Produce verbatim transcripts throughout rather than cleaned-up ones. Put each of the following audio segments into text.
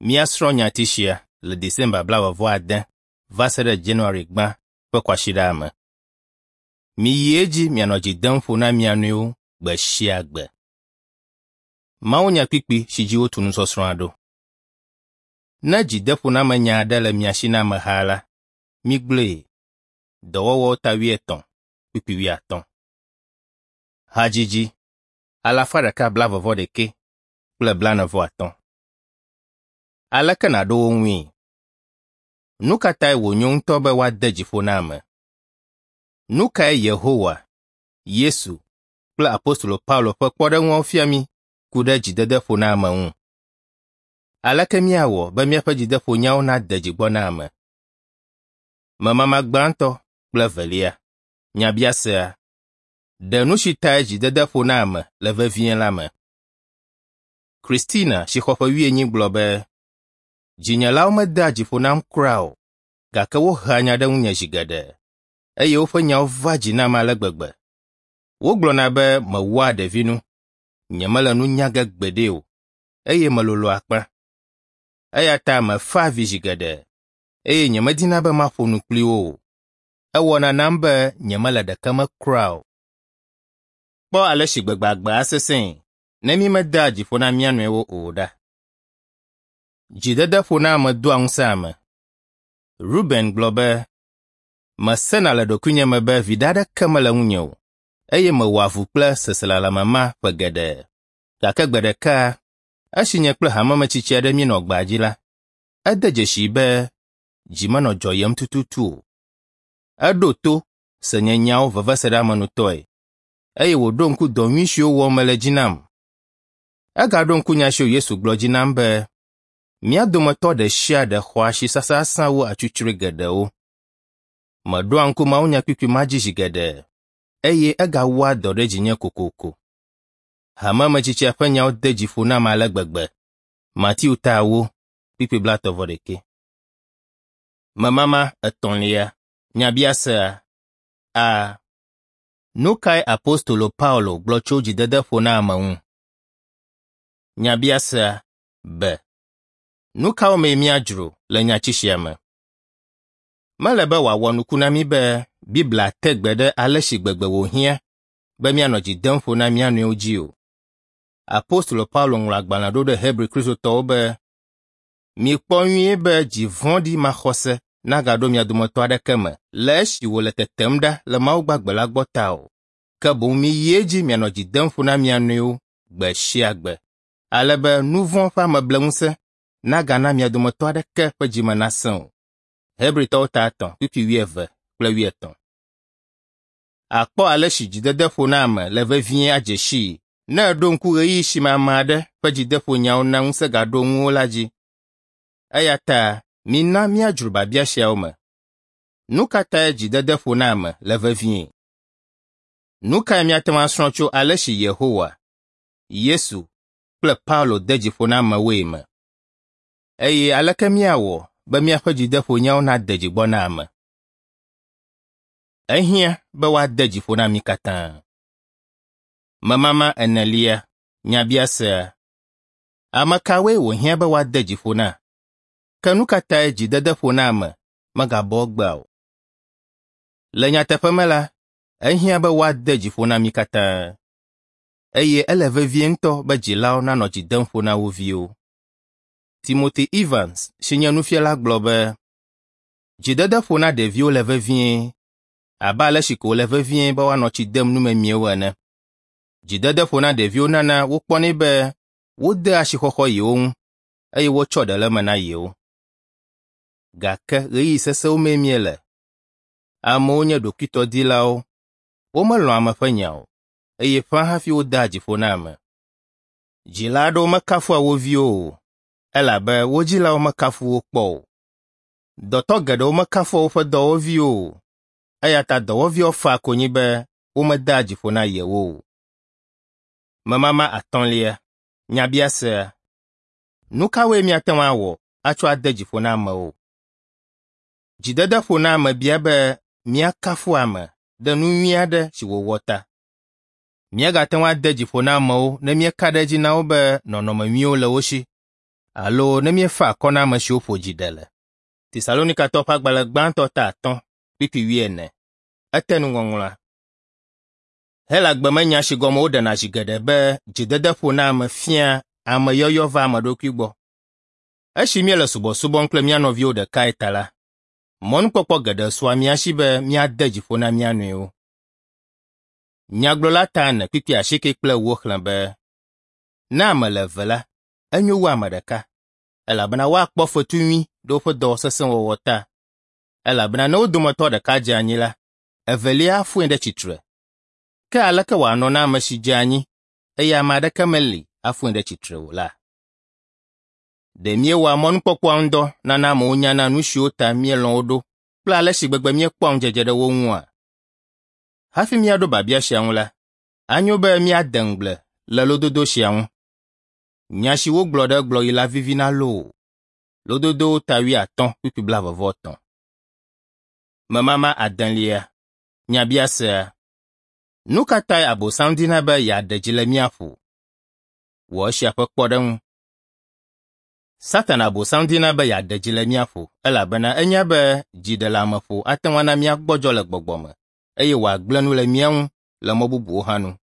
Míasrɔ̃ nyati sia le December blaeve-vɔ-ade va se ɖe January gbã ƒe kwasiɖa me. Miyi edzi mianɔ dzi dem ƒo na mia nɔewo gbe sia gbe. Mawunyakpukpui si dzi wotu nusɔsrɔ̃a ɖo. Ne dzideƒonamenya aɖe le mia si na ameha la, migblɔe. Dɔwɔwɔwo ta wuietɔ̃, kpukpui wuiatɔ̃. Hadzidzi alafa ɖeka blaeve-vɔ-ɖekɛ kple blaene-vɔ-atɔ̃. Aleke nàɖo wo ŋui? Nu ka tae wònyo ŋutɔ be woade dzi ƒo na ame? Nu kae Yehowa, Yesu kple apostolo Paulo ƒe kpɔɖeŋuawo fia mí ku ɖe dzidede ƒo na ame ŋu? Aleke míawɔ be míaƒe dzideƒonyawo nade dzi gbɔ na ame? Memama gbãtɔ kple evelia. Nyabiasea. Ɖe nu si tae dzidede ƒo na ame le vevie la me. Christina si xɔ ƒe wuienyi gblɔ be, dzinyelawo medea dzi ƒo nam kura o, gake wohea nya ɖe ŋunye zi geɖe, eye woƒe nyawo va dzi nam ale gbegbe. Wogblɔna be mewɔa ɖevinu, nyemele nu nya ge gbeɖe o, eye melolo akpa. Eya ta mefaa avi zi geɖe, eye nyemedina be maƒo nu kpli wo o. Ewɔna nam be nyemele ɖeke me kura o. Kpɔ ale si gbegbe agbea sesẽe ne mímedea dzi ƒo na mía nɔewo o ɖa. Dzidede ƒo na ame doa ŋusẽ ame. Ruben gblɔ be, mesena le ɖokuinye me be viɖe aɖeke mele ŋunye o, eye mewɔ avu kple seselelãme ma ƒe geɖe. Gake gbe ɖeka, esi nye kple hamemetsitsi aɖe míenɔ gbea dzi la, ede dzesii be dzi menɔ dzɔyem tututu o. Eɖo to se nye nyawo veveseɖeamenutɔe, eye wòɖo ŋku dɔ nyui siwo wɔm mele dzi nam. Egaɖo ŋku nya siwo Yesu gblɔ dzi nam be, mía dometɔ ɖe sia ɖe xɔ asi sasasã wu atsutsrɔe geɖewo. Meɖoa ŋku mawunyakpukpui ma dzi zi geɖe, eye egawɔa dɔ ɖe dzinye kokoko. Hamemetsitsia ƒe nyawo de dzi ƒo nam ale gbegbe. Mateo ta ewo, kpukpui blaetɔ̃ vɔ ɖekɛ. Memama etɔ̃lia. Nyabiasea. A. Nu kae apostolo Paulo gblɔ tso dzidede ƒo na ame ŋu? Nyabiasea. B. Nu kawo mee míadzro le nyati sia me? Mele be wòawɔ nuku na mí be Biblia te gbe ɖe ale si gbegbe wòhiã be míanɔ dzi dem ƒo na mía nɔewo dzi o. Apostolo Paulo ŋlɔ agbalẽ ɖo ɖe Hebri Kristotɔwo be, mikpɔ nyuie be dzi vɔ̃ɖi maxɔse nagaɖo mia dometɔ aɖeke me le esi wòle tetem ɖa le Mawu gbagbe la gbɔ ta o. Ke boŋ miyi edzi mianɔ dzi dem ƒo na mia nɔewo gbe sia gbe, ale be nu vɔ̃ ƒe amebleŋusẽ nagana mia dometɔ aɖeke ƒe dzime nasẽ o. Hebritɔwo ta etɔ̃, kpukpui wuieve kple wuietɔ̃. Àkpɔ ale si dzidede ƒo na ame le vevie adze sii ne èɖo ŋku ɣeyiɣi si me ame aɖe ƒe dzideƒonyawo na ŋusẽ gaɖo ŋuwò la dzi. Eya ta mina míadzro biabia siawo me. Nu ka tae dzidede ƒo na ame le vevie? Nu kae míate ŋu asrɔ̃ tso ale si Yehowa, Yesu kple Paulo de dzi ƒo na amewoe me? Eye aleke míawɔ be míaƒe dzideƒonyawo nade dzi gbɔ na ame? Ehiã be woade dzi ƒo na mí katã. Memama enelia. Nyabiasea. Ame kawoe wòhiã be woade dzi ƒo na? Ke nu ka tae dzidede ƒo na ame megabɔ egbea o? Le nyateƒe me la, ehiã be woade dzi ƒo na mí katã. Eye ele vevie ŋutɔ be dzilawo nanɔ dzi dem ƒo na wo viwo. Timothy Evans si nye nufiala gblɔ be, dzidede ƒo na ɖeviwo le vevie abe ale si ko wòle vevie be woanɔ tsi dem numemiewo ene. Dzidede ƒo na ɖeviwo nana wokpɔnɛ be wodea asixɔxɔ yewo ŋu eye wotsɔ ɖe le eme na yewo. Gake ɣeyiɣi sesẽwo mee míele. Amewo nye ɖokuitɔdilawo, womelɔ̃a ame ƒe nya o, eye ƒãa hafi wodea dzi ƒo na ame. Dzila aɖewo mekafua wo viwo o, elabe wo dzilawo mekafu wo kpɔ o. Dɔtɔ geɖewo mekafua woƒe dɔwɔviwo o, eya ta dɔwɔviawo faa konyi be womedea dzi ƒo na yewo o. Memama atɔ̃lia. Nyabiasea. Nu kawoe míate ŋu awɔ atsɔ ade dzi ƒo na amewo? Dzidede ƒo na ame bia be míakafu ame ɖe nu nyui aɖe si wòwɔ ta. Míagate ŋu ade dzi ƒo na amewo ne míeka ɖe edzi na wo be nɔnɔme nyuiwo le wo si alo ne míefa akɔ na ame siwo ƒo dzi ɖe le. Tesalonikatɔwo ƒe agbalẽ gbãtɔ ta atɔ̃ kpukpui wuiene. Etenuŋɔŋlɔa. Helagbe me nya si gɔme woɖena zi geɖe be dzidedeƒo na ame fia ameyɔyɔ va ame ɖokui gbɔ. Esi míele subɔsubɔm kple mía nɔviwo ɖekae ta la, mɔnukpɔkpɔ geɖe sua mía si be míade dzi ƒo na mía nɔewo. Nyagblɔla ta ene kpukpui asieke kple ewo xlẽ be, ne ame le eve la, enyo wu ame ɖeka, elabena woakpɔ fetu nyui ɖe woƒe dɔ sesẽ wɔwɔ ta. Elabena ne wo dometɔ ɖeka dze anyi la, evelia afoe ɖe tsitre. Ke aleke wòanɔ na ame si dze anyi eye ame aɖeke meli afoe ɖe tsitre o la? Ɖe míewɔa mɔnukpɔkpɔa ŋu dɔ nana amewo nyana nu siwo ta míelɔ̃ wo ɖo kple ale si gbegbe míekpɔa ŋudzedze ɖe wo ŋua? Hafi míaɖo biabia sia ŋu la, anyo be míade ŋugble le lododo sia ŋu. Nya si wogblɔ ɖe egblɔɣi la vivina loo. Lododowo ta wuiatɔ̃ kpukpui blaeve-vɔ-etɔ̃. Memama adelia. Nyabiasea. Nu ka tae Abosam dina be yeaɖe dzi le mía ƒo? Wɔ esia ƒe kpɔɖeŋu. Satana Abosam dina be yeaɖe dzi le mía ƒo elabena enya be dziɖeleameƒo ate ŋu ana míagbɔdzɔ le gbɔgbɔ me eye wòagblẽ nu le mía ŋu le mɔ bubuwo hã nu.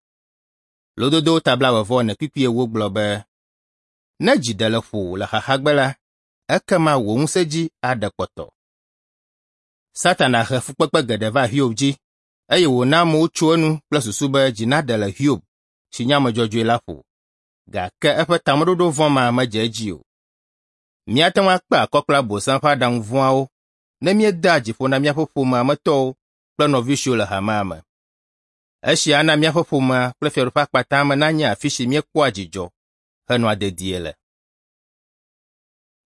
Lododowo ta blaeve-vɔ-ene kpukpui ewo gblɔ be, ne dzi ɖe le ƒowò le xaxagbe la, ekema wò ŋusẽ dzi aɖe kpɔtɔ. Satana he fukpekpe geɖe va Hiob dzi eye wòna amewo tso enu kple susu be dzi naɖe le Hiob si nye ame dzɔdzɔe la ƒo. Gake eƒe tameɖoɖo vɔ̃ ma medze edzi o. Míate ŋu akpe akɔ kple Abosam ƒe aɖaŋu vɔ̃awo ne míedea dzi ƒo na míaƒe ƒomea me tɔwo kple nɔvi siwo le hamea me. Esia ana míaƒe ƒomea kple Fiaɖuƒe Akpata me nanye afi si míekpɔa dzidzɔ henɔa dedie le.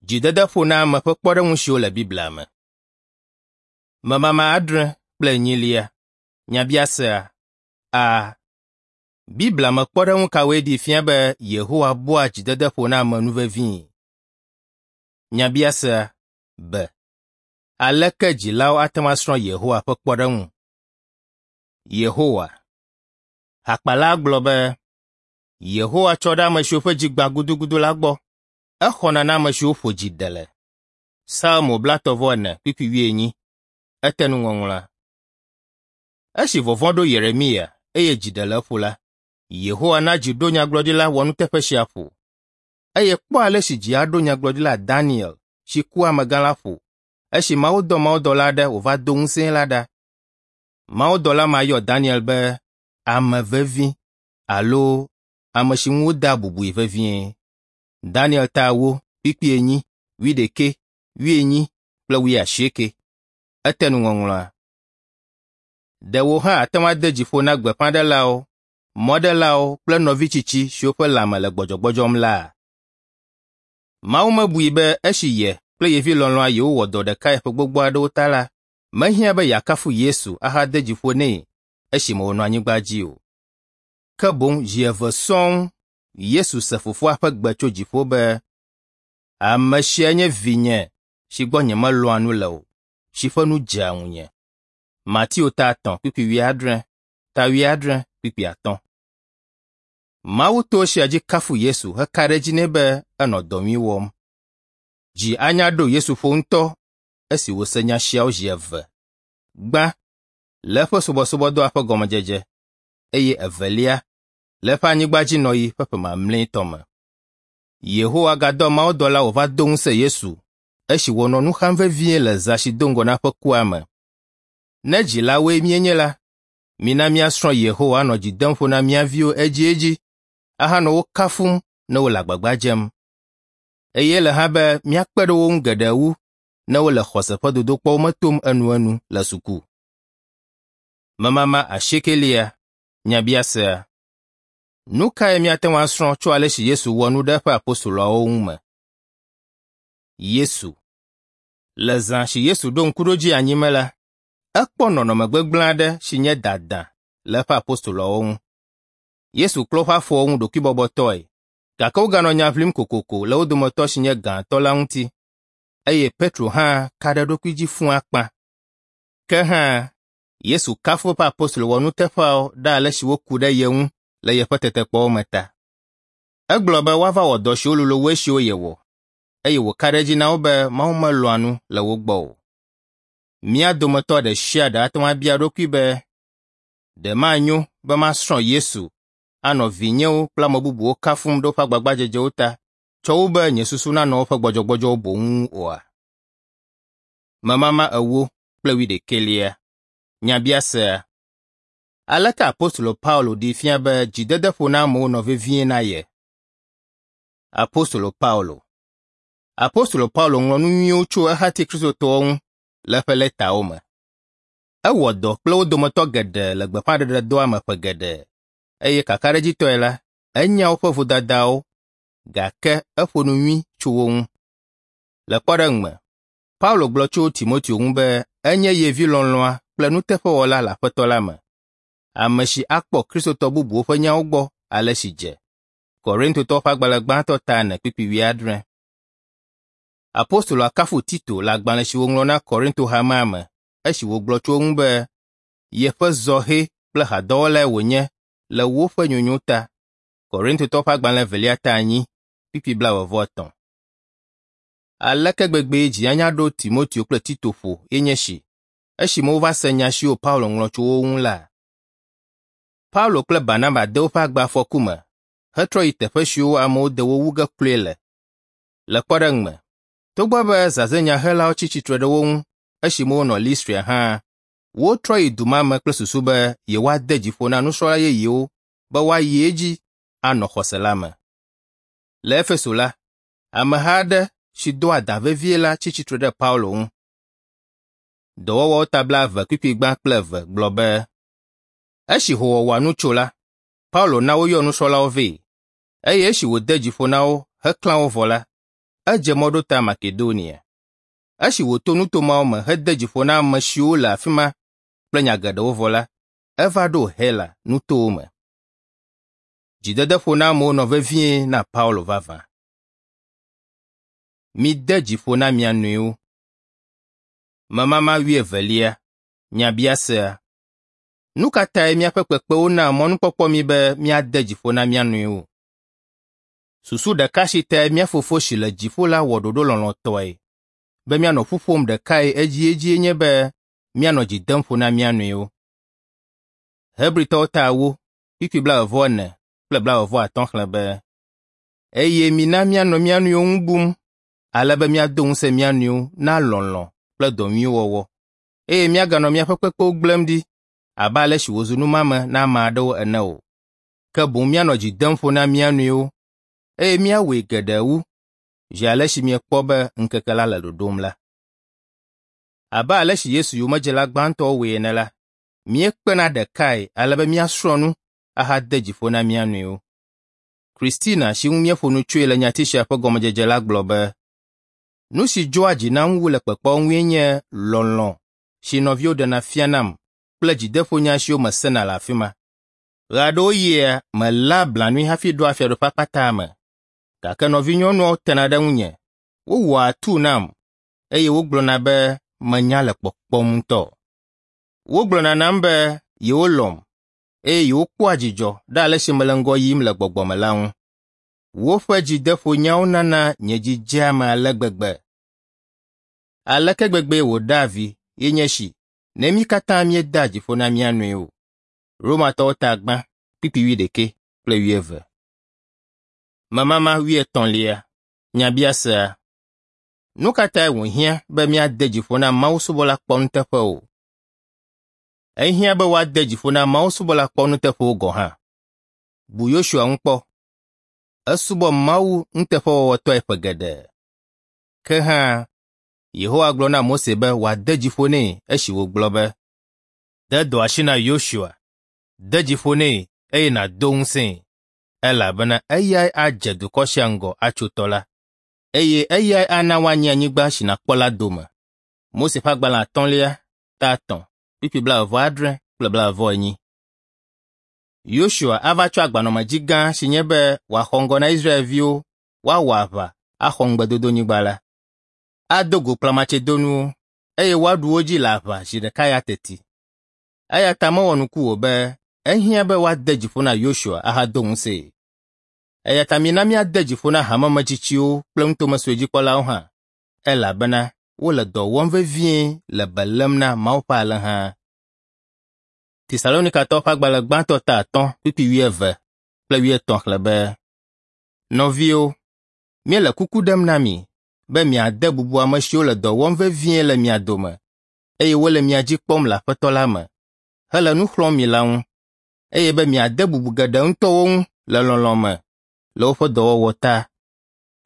Dzidedeƒo na ame ƒe kpɔɖeŋu siwo le Biblia me. Memama adre kple enyilia. Nyabiasea. A. Biblia me kpɔɖeŋu kawoe ɖee fia be Yehowa bua dzidedeƒo na ame nu vevii? Nyabiasea. B. Aleke dzilawo ate ŋu asrɔ̃ Yehowa ƒe kpɔɖeŋu? Yehowa. Hakpala gblɔ be, Yehowa tsɔ ɖe ame siwo ƒe dzi gbã gudugudu la gbɔ. Exɔna na ame siwo ƒo dzi ɖe le. Salmo blaetɔ̃-vɔ-ene kpukpui wuienyi. Etenuŋɔŋlɔa. Esi vɔvɔ̃ ɖo Yeremia eye dzi ɖe le eƒo la, Yehowa na dzi ɖo nyagblɔɖila wɔnuteƒe sia ƒo. Eye kpɔ ale si dzi aɖo nyagblɔɖila Daniel si ku amegã la ƒo esi Mawu dɔ mawudɔla aɖe wòva do ŋusẽe la ɖa. Mawudɔla ma yɔ Daniel be ame vevi alo ame si ŋu wodea bubui vevie. Daniel ta ewo, kpukpui enyi, wuiɖekɛ, wuienyi kple wuiasieke. Etenuŋɔŋlɔa. Ɖe wò hã ate ŋu ade dzi ƒo na gbeƒãɖelawo, mɔɖelawo kple nɔvi tsitsi siwo ƒe lãme le gbɔdzɔgbɔdzɔm la? Mawu mebui be esi ye kple ye vi lɔlɔ̃a yewowɔ dɔ ɖekae ƒe gbogbo aɖewo ta la, mehiã be yeakafu Yesu ahade dzi ƒo nɛ esime wònɔ anyigba dzi o. Ke boŋ zi eve sɔŋ Yesu se fofoa ƒe gbe tso dziƒo be, ame sia nye vinye si gbɔ nyemelɔ̃a nu le o, si ƒe nu dzea ŋunye. Mateo ta etɔ̃ kpukpui wuiadre, ta wuiadre kpukpui atɔ̃. Mawu to esia dzi kafu Yesu heka ɖe edzi nɛ be enɔ dɔ nyui wɔm. Dzi anya ɖo Yesu ƒo ŋutɔ esi wòse nya siawo zi eve. Gbã, le eƒe subɔsubɔdɔa ƒe gɔmedzedze eye evelia, le eƒe anyigbadzinɔɣi ƒe ƒe mamlɛtɔ me. Yehowa gadɔ mawudɔla wòva do ŋusẽ Yesu esi wònɔ nu xam vevie le zã si do ŋgɔ na eƒe kua me. Ne dzilawoe míenye la, mina míasrɔ̃ Yehowa anɔ dzi dem ƒo na mía viwo edziedzi ahanɔ wo kafum ne wole agbagba dzem. Eye ele hã be míakpe ɖe wo ŋu geɖe wu ne wole xɔse ƒe dodokpɔwo me tom enuenu le suku. Memama asiekelia. Nyabiasea. Nu kae míate ŋu asrɔ̃ tso ale si Yesu wɔ nu ɖe eƒe apostoloawo ŋu me? Yesu. Le zã si Yesu ɖo ŋkuɖodzi anyi me la, ekpɔ nɔnɔme gbegblẽ aɖe si nye dada le eƒe apostoloawo ŋu. Yesu klɔ woƒe afɔwo ŋu ɖokuibɔbɔtɔe, gake woganɔ nya ʋlim kokoko le wo dometɔ si nye gãtɔ la ŋuti, eye Petro hã ka ɖe eɖokui dzi fũu akpa. Ke hã, Yesu kafu eƒe apostolo wɔnuteƒeawo ɖe ale si woku ɖe ye ŋu le yeƒe tetekpɔwo me ta. Egblɔ be woava wɔ dɔ siwo lolo wu esiwo yewɔ. eye wòka ɖe edzi na wo be Mawu melɔ̃a nu le wo gbɔ o. Mía dometɔ ɖe sia ɖe ate ŋu abia eɖokui be, ɖe manyo be masrɔ̃ Yesu anɔ vinyewo kple ame bubuwo kafum ɖe woƒe agbagbadzedzewo ta tsɔ wu be nye susu nanɔ woƒe gbɔdzɔgbɔdzɔwo boŋ ŋu oa? Memama ewo kple wuiɖekɛlia. Nyabiasea. Aleke Apostolo Paulo ɖee fia be dzidedeƒo na amewo nɔ vevie na ye? Apostolo Paulo. Apostolo Paulo ŋlɔ nu nyuiwo tso ehati Kristotɔwo ŋu le eƒe lɛtawo me. Ewɔ dɔ kple wo dometɔ geɖe le gbeƒãɖeɖedɔa me ƒe geɖe eye kakaɖedzitɔe la, enya woƒe vodadawo gake eƒo nu nyui tso wo ŋu. Le kpɔɖeŋu me, Paulo gblɔ tso Timoteo ŋu be enye ye vi lɔlɔ̃a kple nuteƒewɔla le Aƒetɔ la me, ame si akpɔ Kristotɔ bubuwo ƒe nyawo gbɔ ale si dze. Korintotɔwo ƒe agbalẽ gbãtɔ ta ene kpukpui wuiadre. Apostoloa kafu Tito le agbalẽ si wòŋlɔ na Korinto hamea me esi wògblɔ tso eŋu be yeƒe zɔhɛ kple hadɔwɔlae wònye le woƒe nyonyo ta. Korintotɔwo ƒe agbalẽ evelia ta enyi kpukpui blaeve-vɔ-etɔ̃. Aleke gbegbee dzi anya ɖo Timoteo kple Tito ƒo ye nye esi esime wova se nya siwo Paulo ŋlɔ tso wo ŋu la? Paulo kple Barnaba de woƒe agbe afɔku me hetrɔ yi teƒe siwo amewo de wo wu ge kloe le. Le kpɔɖeŋu me, togbɔ be zazɛ̃nyahelawo tsi tsitre ɖe wo ŋu esime wonɔ Listria hã, wotrɔ yi du ma me kple susu be yewoade dzi ƒo na nusrɔ̃la yeyewo be woayi edzi anɔ xɔse la me. Le Efeso la, ameha aɖe si do adã vevie la tsi tsitre ɖe Paulo ŋu. Dɔwɔwɔwo ta blaeve kpukpui gbã kple eve gblɔ be, esi hoowɔwɔa nu tso la, Paulo na woyɔ nusrɔ̃lawo vɛ, eye esi wòde dzi ƒo na wo heklã wo vɔ la, edze mɔ ɖo ta Makedonia. Esi wòto nuto mawo me hede dzi ƒo na ame siwo le afi ma kple nya geɖewo vɔ la, eva ɖo Hela nutowo me. Dzidedeƒo na amewo nɔ vevie na Paulo vavã. Mide dzi ƒo na mia nɔewo. Memama wuievelia. Nyabiasea. Nu ka tae míaƒe kpekpewo naa mɔnukpɔkpɔ mí be míade dzi ƒo na mía nɔewo? Susu ɖeka si tae mía Fofo si le dziƒo la wɔ ɖoɖo lɔlɔ̃tɔe be míanɔ ƒu ƒom ɖekae edziedzie nye be míanɔ dzi dem ƒo na mía nɔewo. Hebritɔwo ta ewo, kpukpui blaeve-vɔ-ene kple blaeve-vɔ-atɔ̃ xlẽ be, eye mina míanɔ mía nɔewo ŋu bum ale be míado ŋusẽ mía nɔewo na lɔlɔ̃ kple dɔ nyuiwo wɔwɔ, eye míaganɔ míaƒe kpekpewo gblẽm ɖi abe ale si wòzu numame na ame aɖewo ene o. Ke boŋ míanɔ dzi dem ƒo na mía nɔewo eye míawɔe geɖe wu zi ale si miekpɔ be ŋkeke la le ɖoɖom la. Abe ale si Yesu yomedzela gbãtɔwo wɔe ene la, míekpena ɖekae ale be míasrɔ̃ nu ahade dzi ƒo na mía nɔewo. Christina si ŋu míeƒo nu tsoe le nyati sia ƒe gɔmedzedze la gblɔ be, nu si dzɔa dzi nam wu le kpekpeawo ŋue nye lɔlɔ̃ si nɔviwo ɖena fianam kple dzideƒonya siwo mesena le afi ma. Ɣeaɖewoɣia, meléa blanui hafi ɖoa Fiaɖuƒe Akpataa me, gake nɔvinyɔnuawo tena ɖe ŋunye, wowɔa atuu nam eye wogblɔna be menya le kpɔkpɔm ŋutɔ. Wogblɔna nam be yewolɔ̃m eye yewokpɔa dzidzɔ ɖe ale si mele ŋgɔ yim le gbɔgbɔ me la ŋu. Woƒe dzideƒonyawo nana nye dzi dzea eme ale gbegbe. Aleke gbegbee wòɖea vi ye nye esi ne mí katã míedea dzi ƒo na mía nɔewo. Romatɔwo ta gbã kpukpui wuiɖekɛ kple wuieve. Memama wuietɔ̃lia. Nyabiasea. Nu ka tae wòhiã be míade dzi ƒo na mawusubɔla kpɔnuteƒewo? Ehiã be woade dzi ƒo na mawusubɔla kpɔnuteƒewo gɔ̃ hã. Bu Yosua ŋu kpɔ. Esubɔ Mawu nuteƒewɔwɔtɔe ƒe geɖe. Ke hã, Yehowa gblɔ na Mose be wòade dzi ƒo nɛ esi wògblɔ be, De dɔ asi na Yosua, de dzi ƒo nɛ eye nàdo ŋusẽe, elabena eyae adze dukɔ sia ŋgɔ atso tɔ la, eye eyae ana woanyi anyigba si nàkpɔ la dome. Mose ƒe agbalẽ atɔ̃lia, ta etɔ̃, kpukpui blaeve-vɔ-adre kple blaeve-vɔ-enyi. Yosua ava tsɔ agbanɔamedzi gã si nye be wòaxɔ ŋgɔ na Israelviwo woawɔ aʋa axɔ ŋugbedodonyigba la. Ado go kplamatsɛdonuwo eye woaɖu wo dzi le aʋa zi ɖeka ya teti. Eya ta mewɔ nuku o be ehiã be woade dzi ƒo na Yosua ahado ŋusẽe. Eya ta mina míade dzi ƒo na hamemetsitsiwo kple nutome sue dzikpɔlawo hã, elabena wole dɔ wɔm vevie le be lém na Mawu ƒe alẽha. Tesalonikatɔwo ƒe agbalẽ gbãtɔ ta atɔ̃ kpukpui wuieve kple wuietɔ̃ xlẽ be, Nɔviwo, míele kuku ɖem na mi be miade bubu ame siwo le dɔ wɔm vevie le mia dome eye wole mia dzi kpɔm le Aƒetɔ la me hele nu xlɔ̃m mi la ŋu, eye be miade bubu geɖe ŋutɔ wo ŋu le lɔlɔ̃ me le woƒe dɔwɔwɔ ta.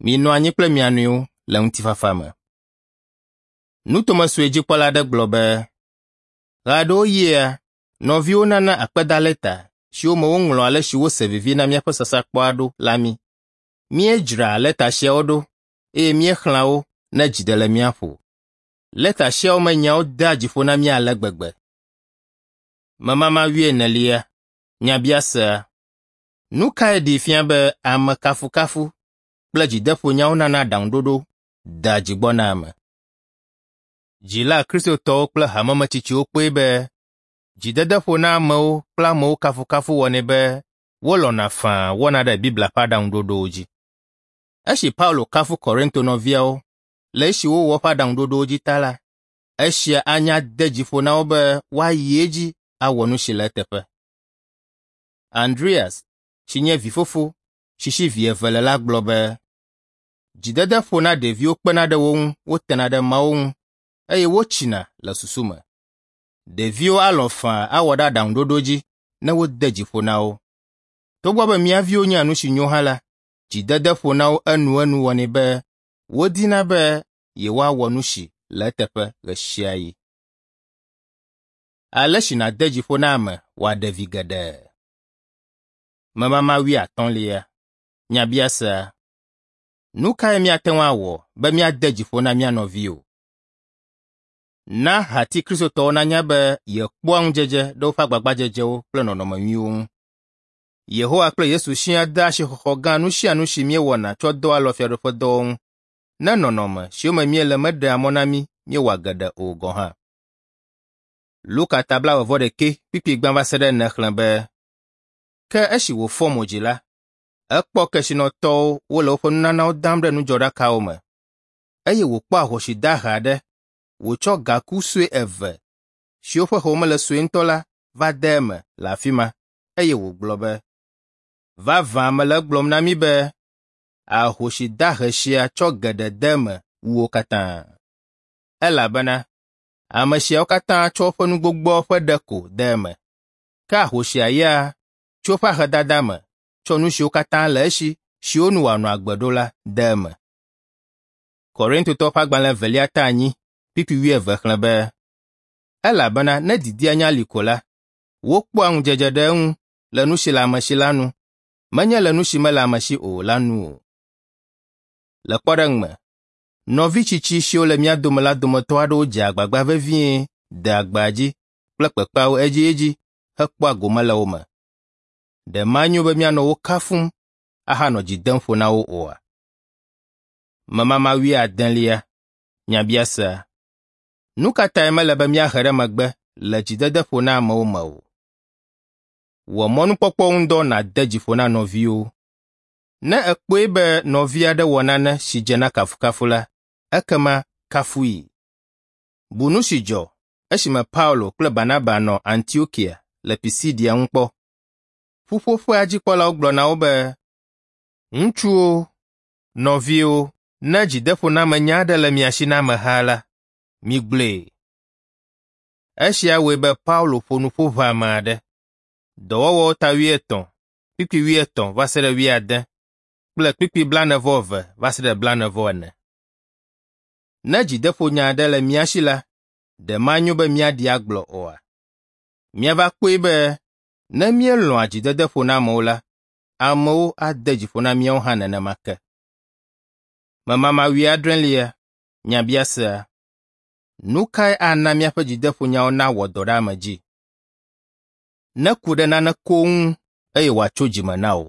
Minɔ anyi kple mia nɔewo le ŋutifafa me. Nutome sue dzikpɔla aɖe gblɔ be, ɣeaɖewoɣia, nɔviwo nana akpedalɛta siwo me woŋlɔ ale si wose vivi na míaƒe sasrãkpɔa ɖo la mí. Míedzraa lɛta siawo ɖo eye míexlẽa wo ne dzi ɖe le mía ƒo. Lɛta siawo me nyawo dea dzi ƒo na mí ale gbegbe. Memama wuienelia, nyabiasea. Nu kae ɖee fia be ame kafukafu kple dzideƒonyawo nana aɖaŋuɖoɖo dea dzi gbɔ na ame? Dzila kristotɔwo kple hamemetsitsiwo kpɔe be dzidedeƒo na amewo kple amewo kafukafu wɔnɛ be wolɔ̃na faa wɔna ɖe Biblia ƒe aɖaŋuɖoɖowo dzi. Esi Paulo kafu Korinto nɔviawo le esi wowɔ eƒe aɖaŋuɖoɖowo dzi ta la, esia anya de dzi ƒo na wo be woayi edzi awɔ nu si le eteƒe. Andreas, si nye vifofo si si vi eve le la gblɔ be, dzidedeƒo na ɖeviwo kpena ɖe wo ŋu wotena ɖe Mawu ŋu eye wotsina le susu me. Ɖeviwo alɔ̃ faa awɔ ɖe aɖaŋuɖoɖo dzi ne wode dzi ƒo na wo. Togbɔ be mía viwo nya nu si nyo hã la, dzidedeƒo na wo enuenu wɔnɛ be wodina be yewoawɔ nu si le eteƒe ɣe sia ɣi. Ale si nàde dzi ƒo na ame wòaɖe vi geɖe. Memama wuiatɔ̃lia, nyabiasea. Nu kae míate ŋu awɔ be míade dzi ƒo na mía nɔviwo? Na hati kristotɔwo nanya be yekpɔa ŋudzedze ɖe woƒe agbagbadzedzewo kple nɔnɔme nyuiwo ŋu. Yehowa kple Yesu siaa dea asixɔxɔ gã nu sia nu si míewɔna tsɔ doa alɔ fiaɖuƒedɔwo ŋu, ne nɔnɔme siwo me míele meɖea mɔ na mí míewɔa geɖe o gɔ̃ hã. Luka ta blaeve-vɔ-ɖekɛ kpukpui gbã va se ɖe ene xlẽ be, ke esi wòfɔ mo dzi la, ekpɔ kesinɔtɔwo wole woƒe nunanawo dam ɖe nudzɔɖakawo me, eye wòkpɔ ahosi dahe aɖe wòtsɔ gaku sue eve siwo ƒe home le sue ŋutɔ la va de eme le afi ma, eye wògblɔ be, vavã mele egblɔm na mi be ahosi dahe sia tsɔ geɖe de eme wu wo katã. Elabena ame siawo katã tsɔ woƒe nu gbogboawo ƒe ɖe ko de eme, ke ahosia ya tso eƒe ahedada me tsɔ nu siwo katã le esi siwo nu wòanɔ agbe ɖo la de eme. Korintotɔwo ƒe agbalẽ evelia ta enyi kpukpui wuieve xlẽ be, elabena ne didia nya li ko la, wokpɔa ŋudzedze ɖe eŋu le nu si le ame si la nu, menye le nu si mele ame si o la nu o. Le kpɔɖeŋu me, nɔvi tsitsi siwo le mía dome la dometɔ aɖewo dzea agbagba vevie dea gbeadzi kple kpekpeawo edziedzi hekpɔa gome le wo me. Ɖe manyo be míanɔ wo kafum ahanɔ dzi dem ƒo na wo oa? Memama wuiadelia, nyabiasea. Nu ka tae mele be míahe ɖe megbe le dzidedeƒo na amewo me o? Wɔ mɔnukpɔkpɔ ŋu dɔ nàde dzi ƒo na nɔviwo. Ne èkpɔe be nɔvi aɖe wɔ nane si dze na kafukafu la, ekema kafui. Bu nu si dzɔ esime Paulo kple Barnaba nɔ Antiokia le Pisidia ŋu kpɔ. Ƒuƒoƒea dzikpɔlawo gblɔ na wo be, ŋutsuwo, nɔviwo, ne dzideƒonamenya aɖe le mia si na ameha la, migblɔe. Esia wɔe be Paulo ƒo nuƒo ʋãme aɖe. Dɔwɔwɔwo ta wuietɔ̃, kpukpui wuietɔ̃ va se ɖe wuiade kple kpukpui blaene-vɔ-eve va se ɖe blaene-vɔ-ene. Ne dzideƒonya aɖe le mía si la, ɖe manyo be míaɖi agblɔ oa? Míava kpɔe be ne míelɔ̃a dzidedeƒo na amewo la, amewo ade dzi ƒo na míawo hã nenema ke. Memama wuiadrelia, nyabiasea. Nu kae ana míaƒe dzideƒonyawo nawɔ dɔ ɖe ame dzi? Neku ɖe nane koŋ ŋu eye wòatso dzime na wò.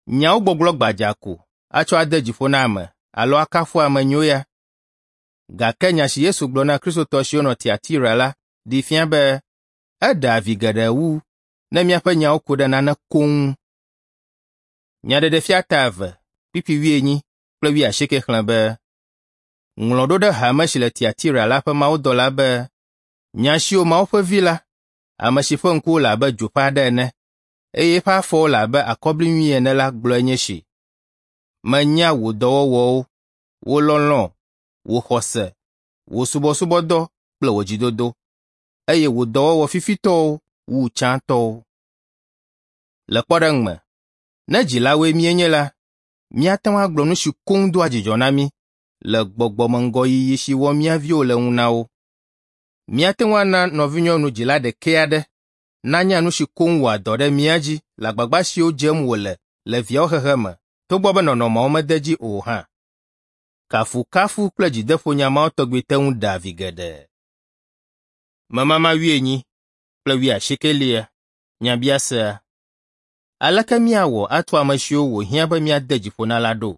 Nyawo gbɔgblɔ gbadza ko atsɔ ade dzi ƒo na ame alo akafu ame nyo ya. Gake nya si Yesu gblɔ na kristotɔ siwo nɔ Tiatira la ɖee fia be eɖea vi geɖe wu ne míaƒe nyawo ku ɖe nane koŋ ŋu. Nyaɖeɖefia ta eve, kpukpui wuienyi kple wuiasieke xlẽ be, “Ŋlɔ ɖo ɖe hame si le Tiatira la ƒe mawudɔla be, nya siwo Mawu ƒe Vi la, ame si ƒe ŋkuwo le abe dzo ƒe aɖe ene, eye eƒe afɔwo le abe akɔbli nyui ene la gblɔe nye esi. Menya wò dɔwɔwɔwo, wò lɔlɔ̃, wò xɔse, wò subɔsubɔdɔ kple wò dzidodo, eye wò dɔwɔwɔ fifitɔwo wu tsãtɔwo. Le kpɔɖeŋu me, ne dzilawoe míenye la, míate ŋu agblɔ nu si koŋ doa dzidzɔ na mí le gbɔgbɔmeŋgɔyiyi si wɔm mía viwo le ŋu na wo. Míate ŋu ana nɔvinyɔnu dzila ɖekɛ aɖe nanya nu si koŋ wɔa dɔ ɖe mía dzi le agbagba siwo dzem wòle le viawo hehe me togbɔ be nɔnɔmeawo mede edzi o hã. Kafukafu kple dzideƒonya mawo tɔgbi te ŋu ɖea vi geɖe. Memama wuienyi kple wuiasiekelia. Nyabiasea. Aleke míawɔ atu ame siwo wòhiã be míade dzi ƒo na la ɖo?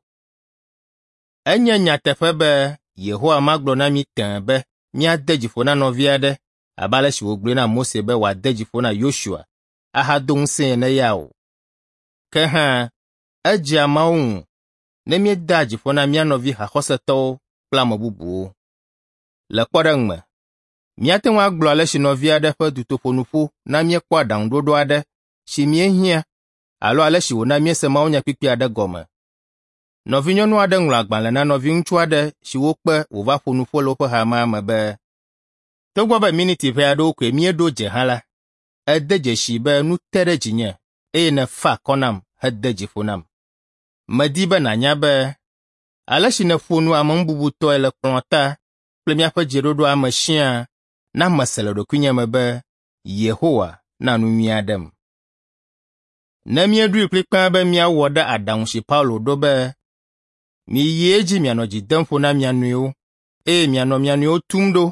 Enye nyateƒe be Yehowa magblɔ na mí tẽe be míade dzi ƒo na nɔvi aɖe abe ale si wògblɔe na Mose be wòade dzi ƒo na Yosua ahado ŋusẽe ene ya o. Ke hã, edzea Mawu ŋu ne míedea dzi ƒo na mía nɔvi haxɔsetɔwo kple ame bubuwo. Le kpɔɖeŋu me, míate ŋu agblɔ ale si nɔvi aɖe ƒe dutoƒonuƒo na míekpɔ aɖaŋuɖoɖo aɖe si míehiã alo ale si wòna míese mawunyakpukpui aɖe gɔme. Nɔvinyɔnu aɖe ŋlɔ agbalẽ na nɔviŋutsu aɖe si wokpe wòva ƒo nuƒo le woƒe hamea me be, “Togbɔ be miniti ʋɛ aɖewo koe míeɖo dze hã la, ède dzesii be nu te ɖe dzinye eye nèfa akɔ nam hede dzi ƒo nam. Medi be nànya be ale si nèƒo nu ameŋububutɔe le kplɔ̃ta kple míaƒe dzeɖoɖoa me siaa na mese le ɖokuinye me be Yehowa na nu nyui aɖem.” Ne míeɖoe kplikpaa be míawɔ ɖe aɖaŋu si Paulo ɖo be, “Miyi edzi mianɔ dzi dem ƒo na mia nɔewo eye mianɔ mia nɔewo tum ɖo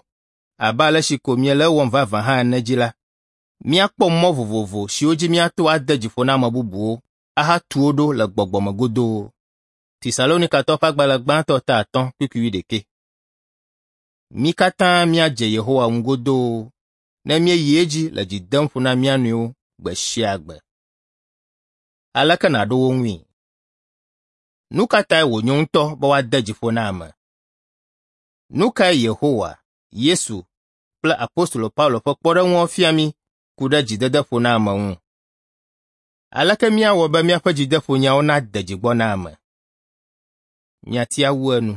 abe ale si ko miele ewɔm vavã hã ene dzi la, míakpɔ mɔ vovovo siwo dzi míato ade dzi ƒo na ame bubuwo ahatu wo ɖo le gbɔgbɔ me godoo. Tesalonikatɔwo ƒe agbalẽ gbãtɔ ta atɔ̃ kpukpui wuiɖekɛ. Mí katã míadze Yehowa ŋu godoo ne míeyi edzi le dzi dem ƒo na mía nɔewo gbe sia gbe. Aleke nàɖo wo ŋui? Nu ka tae wònyo ŋutɔ be woade dzi ƒo na ame? Nu kae Yehowa, Yesu kple apostolo Paulo ƒe kpɔɖeŋuwo fia mí ku ɖe dzidede ƒo na ame ŋu? Aleke míawɔ be míaƒe dzideƒonyawo nade dzi gbɔ na ame? Nyatia wu enu.